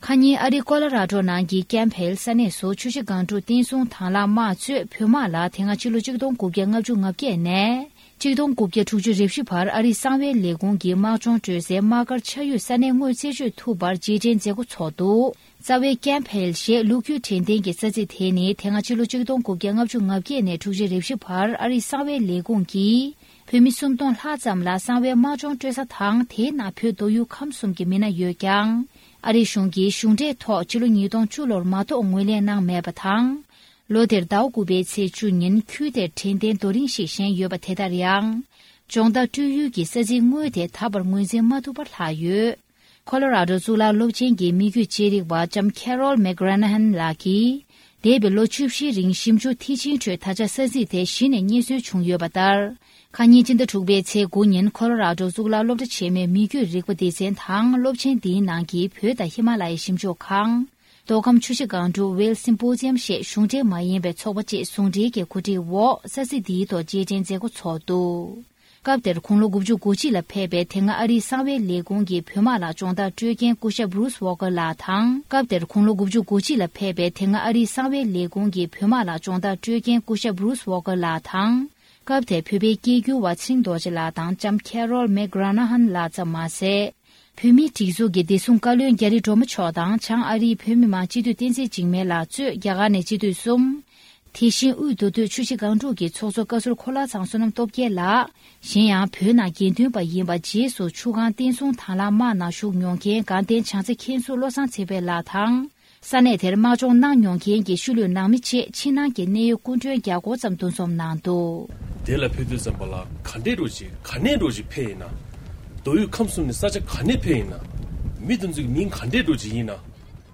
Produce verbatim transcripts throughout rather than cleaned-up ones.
ཁ་ཉིན་ཨ་རིའི་ཀོ་ལོ་ར་ཌོ་ནང་གི་ཀེམ་བྷེལ་ས་གནས་སུ་ཆུ་བཞི་སྒང་དྲུག་བསྟན་སྲུང་དྭང་བླངས་དམག་གཙོས་བོད་དམག་ལ་དེ་སྔ་ཕྱི་ལོ་ཆིག་སྟོང་དགུ་བརྒྱ་ལྔ་བཅུ་ང་བརྒྱད་ནས་ཆིག་སྟོང་དགུ་བརྒྱ་དྲུག་ཅུ་རེ་བཞི་བར་ཨ་རིའི་གསང་བའི་ལས་ཁུངས་ཀྱི་དམག་སྦྱོང་སྤྲོད་སའི་དམག་སྒར་ཆགས་ཡུལ་ས་གནས་དངོས་རྩད་གཅོད་ཐུབ་པར་རྗེས་དྲན་མཛད་སྒོ་ཚོགས་འདུག་རྩ་བའི་ཀེམ་བྷེལ་ཞེས་ལོ་རྒྱུས་དྲན་རྟེན་གྱི་ས་ཚིགས་དེ་ནི་དེ་སྔ་ཕྱི་ལོ་ཆིག་སྟོང་དགུ་བརྒྱ་ལྔ་བཅུ་ང་བརྒྱད་ནས་དྲུག་ཅུ་རེ་བཞི་བར་ཨ་རིའི་གསང་བའི་ལས་ཁུངས་ཀྱིས་བོད་མི་སུམ་སྟོང་ལྷག་ཙམ་ལ་གསང་བའི་དམག་སྦྱོང་སྤྲོད་ས་དང་། དེའི་ནང་བོད་མདོ་དབུས་ཁམས་གསུམ་གྱི་མི་སྣ་ཡོད་ཀྱང་། ཨ་རིའི་གཞུང་གིས་གཞུང་འབྲེལ་ཐོག་ཕྱི་ལོ་ཉིས་སྟོང་བཅུ་ལོར་མ་གཏོགས་ངོས་ལེན་གནང་མེད་པ་དང་། ལོ་དེར་ཟླ་བ་དགུ་པའི་ཚེས་བཅུ་ཉིན་ཁུལ་དེར་དྲན་རྟེན་རྡོ་རིང་ཞིག་བཞེངས་ཡོད་པ་དེ་ལྟར་ཡང་། སྦྱོང་བརྡར་སྤྲོད་ཡུལ་གྱི་ས་ཚིགས་དངོས་དེ་ད་བར་ངོས་འཛིན་མ་ཐུབ་པར་ལྷག་ཡོད། ཁོ་ལོ་ར་ཌོ་གཙུག་ལག་སློབ་ཆེན་གྱི་མི་རྒྱུད་ཅེས་རིག་པ་ལྕམ་ཁེ་རོལ་མེག་གྷ་རན་ཧན་ལགས་ཀྱིས། འདས་པའི་ལོ་བཅུ་བཞིའི་རིང་ཞིབ་འཇུག་མཐིལ་ཕྱིན་ཁྲོད་ད་ཆ་ས་ཚིགས་དེ་གཞི་ནས་རྙེད་སོན་བྱུང་ཡོད་པ་ལྟར། ཁ་ཉིན་སྤྱི་ཟླ་དྲུག་པའི་ཚེས་དགུ་ཉིན་ཁོ་ལོ་ར་ཌོ་གཙུག་ལག་སློབ་གྲྭ་ཆེན་མོའི་མི་རྒྱུད་རིག་པ་སྡེ་ཚན་དང་སློབ་ཆེན་འདིའི་ནང་གི་བོད་དང་ཧི་མ་ལ་ཡའི་ཞིབ་འཇུག་ཁང་། མདོ་ཁམས་ཆུ་བཞི་སྒང་དྲུག་ཝེལ་སིམ་པོ་ཛི་ཡམ་ཞེས་གཞུང་འབྲེལ་མ་ཡིན་པའི་ཚོགས་པ་བཅས་ཟུང་འབྲེལ་གྱི་གོ་སྒྲིག་འོག་ས་ཚིགས་འདིའི་ཐོག་རྗེས་དྲན་མཛད་སྒོ་ཚོགས་འདུག་སྐབས་དེར་དགུང་ལོ་དགུ་བཅུ་གོ་གཅིག་ལ་ཕེབས་པའི་དེ་སྔ་ཨ་རིའི་གསང་བའི་ལས་ཁུངས་ཀྱི་བོད་དམག་ལ་སྦྱོང་བརྡར་སྤྲོད་མཁན་སྐུ་ཞབས་བྷུ་རུས་ཝོ་ཀར་ལགས་དང་། སྐབས་དེར་དགུང་ལོ་དགུ་བཅུ་གོ་གཅིག་ལ་ཕེབས་པའི་དེ་སྔ་ཨ་རིའི་གསང་བའི་ལས་ཁུངས་ཀྱི་བོད་དམག་ལ་སྦྱོང་བརྡར་སྤྲོད་མཁན་སྐུ་ཞབས་བྷུ་རུས་ཝོ་ཀར་ལགས་དང་། སྐབས་དེར་བོད་པའི་སྐད་སྒྱུར་བ་ཚེ་རིང་རྡོ་རྗེ་ལགས་དང་ལྕམ་ཁེ་རོལ་མེག་གྷ་རན་ཧན་ལགས་ཙམ་མ་ཟད། བོད་མིའི་སྒྲིག་འཛུགས་ཀྱི་བདེ་སྲུང་བཀའ་བློན་རྒྱ་རི་སྒྲོལ་མ་མཆོག་དང་བྱང་ཨ་རིའི་བོད་མི་མང་སྤྱི་འཐུས་བསྟན་འཛིན་འཇིགས་མེད་ལགས་གཙོས་རྒྱ་གར་ནས་སྤྱི་འཐུས་གསུམ། དེ་བཞིན་དབུས་མདོ་སྟོད་ཆུ་བཞི་སྒང་དྲུག་གི་ཚོགས་གཙོ་བཀའ་ཟུར་འཁོར་ལོ་ཚང་བསོད་ནམས་སྟོབས་རྒྱལ་ལགས། གཞན་ཡང་བོད་ནང་དགེ་འདུན་པ་ཡིན་པ་རྗེས་སུ་ཆུ་སྒང་བསྟན་སྲུང་དྭང་བླངས་དམག་ནང་ཞུགས་མྱོང་མཁན་དགའ་ལྡན་བྱང་རྩེ་མཁན་ཟུར་བློ་བཟང་ཚེ་འཕེལ་ལགས་དང་། ས་གནས་དེར་དམག་སྦྱོང་གནང་མྱོང་མཁན་གྱི་ཤུལ་ལུས་ནང་མི་བཅས་ཕྱི་ནང་གི་གནད་ཡོད་སྐུ་མགྲོན་བརྒྱ་སྐོར་ཙམ་འདུ་འཛོམས་གནང་འདུག་དེ་ལ་ཕེབས་དུས་ཙམ་པ་ལ་ག་འདྲས་འགྲོ་ཅིག་ག་ནས་འགྲོ་ཅིག་ཕེབས་ཡིན་ན། མདོ་དབུས་ཁམས་གསུམ་ནས་ས་ཆ་ག་ནས་ཕེབས་ཡིན་ན། མི་དེ་ཚོ་གི་མིང་ག་འདྲས་འགྲོ་ཅིག་ཡིན་ན།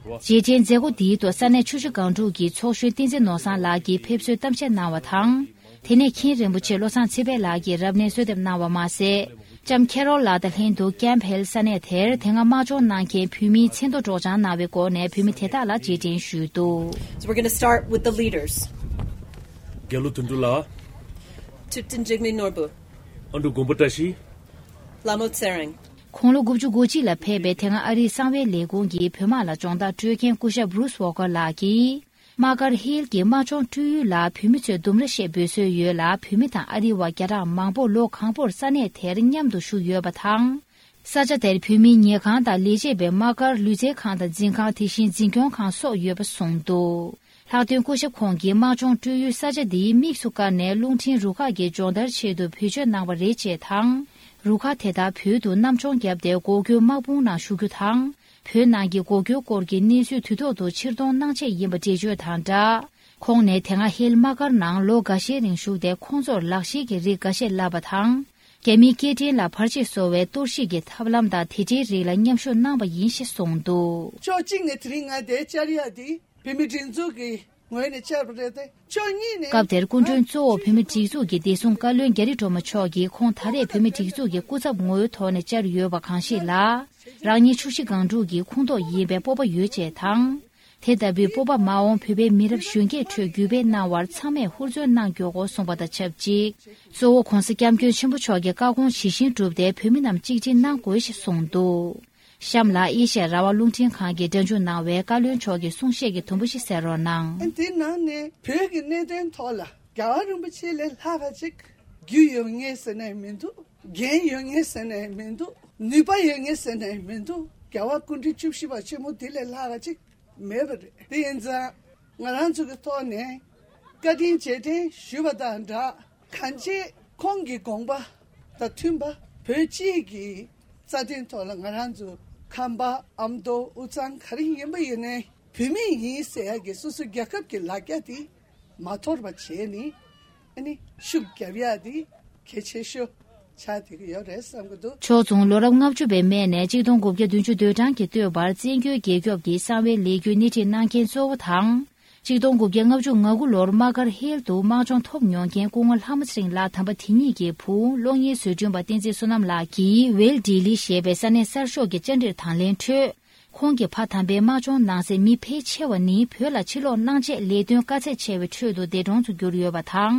རྗེས་དྲན་མཛད་སྒོ་འདིའི་ཐོག་ས་གནས་ཆུ་བཞི་སྒང་དྲུག་གི་ཚོགས་གཞོན་བསྟན་འཛིན་ནོར་བཟང་ལགས་ཀྱིས་ཕེབས་བསུའི་གཏམ་བཤད་གནང་བ་དང་། དེ་ནས་མཁན་རིན་པོ་ཆེ་བློ་བཟང་ཚེ་འཕེལ་ལགས་ཀྱིས་རབ་གནས་གསོལ་འདེབས་གནང་བ་མ་ཟད། ལྕམ་ཁེ་རོལ་ལགས་དང་ལྷན་དུ་ཀེམ་བྷེལ་ས་གནས་དེར་དེ་སྔ་དམག་སྦྱོང་གནང་མཁན་བོད་མིའི་མཚན་ཐོ་སྒྲོག་སྦྱང་གནང་བའི་སྒོ་ནས་བོད་མི་དེ་དག་ལ་རྗེས་དྲན་ཞུས་འདུག So we're going to start with the leaders. རྒྱ་ལོ་དོན་གྲུབ་ལགས། Thupten Jigme Norbu. ཨ་འབྲུག་མགོན་པོ་བཀྲ་ཤིས། Lamo Tshering. དགུང་ལོ་དགུ་བཅུ་གོ་གཅིག་ལ་ཕེབས་པའི་དེ་སྔ་ཨ་རིའི་གསང་བའི་ལས་ཁུངས་ཀྱི་བོད་དམག་ལ་སྦྱོང་བརྡར་སྤྲོད་མཁན་སྐུ་ཞབས་བྷུ་རུས་ཝོ་ཀར་ལགས་ཀྱིས། དམག་སྒར་ཧིལ་གྱི་དམག་སྦྱོང་སྤྲོད་ཡུལ་ལ་བོད་མི་ཚོས་ལྡུམ་ར་ཞེས་འབོད་སྲོལ་ཡོད་ལ། བོད་མི་དང་ཨ་རི་བ་བརྒྱ་ཕྲག་མང་པོ་ལོ་གང་པོར་ས་གནས་དེར་མཉམ་དུ་བཞུགས་ཡོད་པ་དང་། ས་ཆ་དེར་བོད་མིའི་ཉལ་ཁང་དང་ལས་བྱེད་པའི་དམག་སྒར་ལུས་རྩལ་ཁང་དང་འཛིན་ཁང་། དེ་བཞིན་འཛིན་སྐྱོང་ཁང་སོགས་ཡོད་པ་གསུངས་འདུག་ལྷག་དོན་སྐུ་ཞབས་ཁོང་གིས་དམག་སྦྱོང་སྤྲོད་ཡུལ་ས་ཆ་འདིའི་དམིགས་སུ་བཀར་ནས་རླུང་འཕྲིན་རུ་ཁག་གི་སྦྱོང་བརྡར་ཆེད་དུ་བེད་སྤྱོད་གནང་བ་རེད་ཅེས་དང་། རུ་ཁག་དེ་དག་བོད་དུ་གནམ་མཆོང་བརྒྱབ་སྟེ་འགོག་རྒོལ་དམག་དཔུང་ནང་ཞུགས་རྒྱུ་དང་། བོད་ནང་གི་འགོག་རྒྱུའི་སྐོར་གྱི་གནས་ཚུལ་དུས་ཐོག་ཏུ་ཕྱིར་གཏོང་གནང་ཆེད་ཡིན་པ་འགྲེལ་བརྗོད་དང་སྦྲགས། ཁོང་ནས་དེ་སྔ་ཧེལ་དམག་སྒར་ནང་ལོ་འགའ་ཤས་རིང་བཞུགས་ཏེ། ཁོང་ཚོར་ལག་ཤེས་ཀྱི་རིགས་འགའ་ཤས་བསླབས་པ་དང་། རྒྱ་མིའི་སྐད་འཕྲིན་ལ་བར་ཆད་བཟོ་བའི་གཏོར་བཤིག་གི་ཐབས་ལམ་དང་དེ་འབྲེལ་རིགས་ལ་མཉམ་ཞུགས་གནང་བ་ཡིན་ཞེས་གསུངས་འདུག་ཕྱོགས་གཅིག་ནས་དེ་རིང་ང་འདིར་བཅར་ཡག་འདི་བོད་མི་སྒྲིག་འཛུགས་ཀྱི་ངོས་ནས་བཅར་བ་རེད་དེ། ཕྱོགས་གཉིས་ནས། སྐབས་དེར་སྐུ་མགྲོན་གཙོ་བོ་བོད་མི་སྒྲིག་འཛུགས་ཀྱི་བདེ་སྲུང་བཀའ་བློན་རྒྱ་རི་སྒྲོལ་མ་མཆོག་གིས། ཁོང་ད་རེས་བོད་མི་སྒྲིག་འཛུགས་ཀྱི་སྐུ་ཚབ་ངོའི་ཐོག་ནས་བཅར་ཡོད་པ་གང་ཞིག་ལ། རང་ཉིད་ཆུ་བཞི་སྒང་དྲུག་གི་ཁོངས་གཏོགས་ཡིན་པའི་སྤོབས་པ་ཡོད་ཅེས་དང་། དེ་ལྟ་བུའི་སྤོབས་པ་མ་འོངས་བོད་པའི་མི་རབས་གཞོན་སྐྱེས་ཁྲོད་བརྒྱུད་སྤེལ་གནང་བར་ཚང་མས་ཧུར་བརྩོན་གནང་མགྱོགས་སྐོར་གསུངས་པ་དང་ཆབས་ཅིག་གཙོ་བོ་༧གོང་ས་༧སྐྱབས་མགོན་ཆེན་པོ་མཆོག་གི་བཀའ་དགོངས་ཇི་བཞིན་བསྒྲུབས་ཏེ་བོད་མི་རྣམས་གཅིག་སྒྲིལ་གནང་དགོས་ཞེས་གསུངས་འདུག་གཤམ་ལ་ཨེ་ཤ་ཡ་རང་དབང་རླུང་འཕྲིན་ཁང་གིས་སྒྲ་འཇུག་གནང་བའི་བཀའ་བློན་མཆོག་གི་གསུང་བཤད་ཀྱི་དུམ་བུ་ཞིག་གསན་རོགས་གནང་། དེ་ནང་ནས་བོད་ཀྱི་གནད་དོན་ཐོག་ལ་རྒྱལ་བ་རིན་པོ་ཆེ་ལས་ལྷག་པ་ཅིག་རྒྱུས་ཡོད་མཁན་ཟེར་ནས་མི་འདུག་འགན་ཡོད་མཁན་ཟེར་ནས་མི་འདུག་ནུས་པ་ཡོད་མཁན་ཟེར་ནས་མི་འདུག་རྒྱལ་བ་སྐུ་ཕྲེང་བཅུ་བཞི་པ་ཆེན་མོ་དེ་ལས་ལྷག་པ་ཅིག་མེད་པ་རེད། དེ་ཡིན་ཙང་ང་རང་ཚོ་གི་ཐོག་ནས་བཀའ་དྲིན་རྗེས་དྲན་ཞུ་བ་དང་སྦྲགས། གང་ཅི་ཁོང་གི་དགོངས་པ་དང་མཐུན་པ། བོད་སྤྱི་གི་རྩ་དོན་ཐོག་ལ་ང་རང་ཚོ་ཁམས་པ་ཨ་མདོ་དབུས་གཙང་ག་རེ་ཡིན་པ་ཡིན་ནའི་བོད་མི་ཡིན་ཟེར་ཡ་གི་སོ་སོ་རྒྱལ་ཁབ་ཀྱི་ལ་རྒྱ་དེ་མ་དོར་བ་བྱས་ནས་ཨ་ནི་ཤུགས་རྒྱབ་ཡ་དེ་གལ་ཆེ་ཤོས་ཆགས་བསྡད་ཀྱི་ཡོད་རེད་བསམ་གྱི་འདུག་ཕྱོགས་མཚུངས་ལོ་རབས་ལྔ་བཅུ་པའི་སྨད་ནས་གཅིག་སྟོང་དགུ་བརྒྱ་བདུན་ཅུ་དོན་གྲངས་ཀྱི་སྟོད་བར་བཙན་བྱོལ་རྒྱལ་ཁབ་ཀྱི་གསང་བའི་ལས་འགུལ་སྣེ་ཁྲིད་གནང་མཁན་གཙོ་བོ་དང་། གཅིག་སྟོང་དགུ་བརྒྱ་ལྔ་བཅུ་ང་དགུ་ལོར་དམག་སྒར་ཧེལ་དུ་དམག་སྦྱོང་ཐོབ་མྱོང་མཁན་སྐུ་ངོ་ལྷ་མོ་ཚེ་རིང་ལགས་དམ་པ་དེ་ཉིད་ཀྱི་བུ་གློག་བརྙན་བཟོ་སྐྲུན་པ་བསྟན་འཛིན་བསོད་ནམས་ལགས་ཀྱིས་ཝེལ་ཌི་ལི་ཞེས་པའི་ས་གནས་གསར་ཤོག་གི་བཅར་འདྲིར་དང་ལེན་ཁྲོད། ཁོང་གིས་ཕ་དམ་པའི་དམག་སྦྱོང་གནང་སའི་མི་ཕལ་ཆེ་བ་ནི་བོད་ལ་ཕྱིར་ལོག་གནང་ཆེད་ལས་དོན་དཀའ་ཚེགས་ཆེ་བའི་ཁྲོད་དུ་འདས་གྲོངས་སུ་གྱུར་ཡོད་པ་དང་།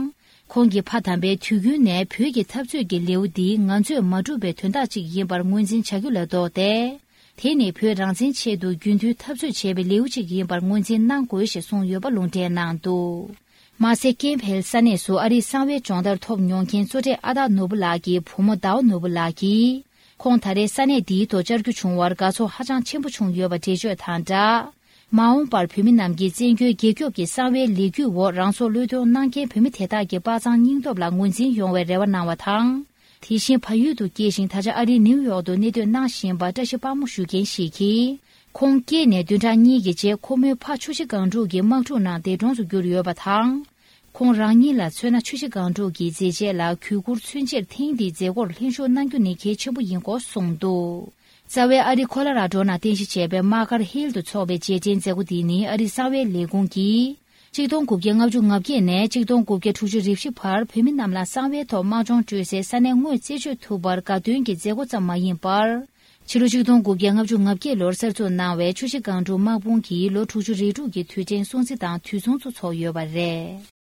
ཁོང་གིས་ཕ་དམ་པས་དུས་རྒྱུན་ནས་བོད་ཀྱི་འཐབ་རྩོད་ཀྱི་ལེའུ་འདི་ང་ཚོས་མ་བསྒྲུབས་པའི་དོན་དག་ཅིག་ཡིན་པར་ངོས་འཛིན་བྱ་རྒྱུ་ལས་ལྡོག་སྟེ། དེ་ནི་བོད་རང་བཙན་ཆེད་དུ་རྒྱུན་མཐུད་འཐབ་རྩོད་བྱས་པའི་ལེའུ་གཅིག་ཡིན་པར་ངོས་འཛིན་གནང་དགོས་ཞེས་གསུངས་ཡོད་པ་ལུང་འདྲེན་གནང་འདུག། མ་ཟད་ཀན་བྷལ་ས་གནས་སུ་ཨ་རིའི་གསང་བའི་སྦྱོང་བརྡར་ཐོབ་མྱོང་མཁན་གཙོ་གྲས་ཨ་སྟག་ནོར་བུ་ལགས་ཀྱི་བུ་མོ་ཟླ་བ་ནོར་བུ་ལགས་ཀྱིས། ཁོང་ད་རེས་ས་གནས་འདིའི་ཐོག་བཅར་རྒྱུ་བྱུང་བར་དགའ་ཚོར་ཧ་ཅང་ཆེན་པོ་བྱུང་ཡོད་པ་འགྲེལ་བརྗོད་དང་སྦྲགས། མ་འོངས་པར་བོད་མི་རྣམས་ཀྱིས་བཙན་བྱོལ་རྒྱལ་ཁབ་ཀྱི་གསང་བའི་ལས་འགུལ་འོག་རང་སྲོག་བློས་གཏོང་གནང་མཁན་བོད་མི་དེ་དག་གི་དཔའ་མཛངས་སྙིང་སྟོབས་ལ་ངོས་འཛིན་ཡོང་བའི་རེ་བ་གནང་བ་དང་། དེ་བཞིན་བལ་ཡུལ་དུ་སྐྱེས་ཤིང་ད་ཆ་ཨ་རིའི་ནིའུ་ཡོག་ཏུ་གནས་སྡོད་གནང་བཞིན་པ་བཀྲ་ཤིས་དཔལ་མོ་ཞུ་མཁན་ཞིག་གིས། ཁོང་སྐྱེས་ནས་བདུན་ཕྲག་གཉིས་ཀྱི་རྗེས་ཁོ་མོའི་ཕ་ཆུ་བཞི་སྒང་དྲུག་གི་དམག་འཁྲུག་ནང་འདས་གྲོངས་སུ་གྱུར་ཡོད་པ་དང་། ཁོང་རང་ཉིད་ལ་མཚོན་ན་ཆུ་བཞི་སྒང་དྲུག་གི་མཛད་རྗེས་ལ་གུས་བཀུར་མཚོན་ཕྱིར་ཐེངས་འདིའི་མཛད་སྒོར་ལྷན་ཞུགས་གནང་རྒྱུ་ནི་གལ་ཆེན་པོ་ཡིན་སྐོར་གསུངས་འདུག། རྩ་བའི་ཨ་རི་ཁོ་ལོ་ར་ཌོ་ནང་རྟེན་གཞི་བྱས་པའི་མ་ཀར་ཧིལ་དུ་འཚོགས་པའི་རྗེས་དྲན་མཛད་སྒོ་འདི་ནི་ཨ་རིའི་གསང་བའི་ལས་ཁུངས་ཀྱིས། གཅིག་སྟོང་དགུ་བརྒྱ་ལྔ་བཅུ་ང་བརྒྱད་ནས་གཅིག་སྟོང་དགུ་བརྒྱ་དྲུག་ཅུ་རེ་བཞི་བར་བོད་མི་རྣམས་ལ་གསང་བའི་ཐོག་དམག་སྦྱོང་སྤྲོད་སའི་ས་གནས་དངོས་རྩད་གཅོད་ཐུབ་པར་དགའ་སྟོན་གྱི་མཛད་སྒོ་ཙམ་མ་ཡིན་པར། ཕྱི་ལོ་ཆིག་སྟོང་དགུ་བརྒྱ་ལྔ་བཅུ་ང་བརྒྱད་ལོར་གསར་འཛུགས་གནང་བའི་ཆུ་བཞི་སྒང་དྲུག་དམག་དཔུང་གི་ལོ་དྲུག་ཅུ་རེ་དྲུག་གི་དུས་དྲན་སྲུང་བརྩི་དང་དུས་མཚུངས་སུ་འཚོགས་ཡོད་པ་རེད།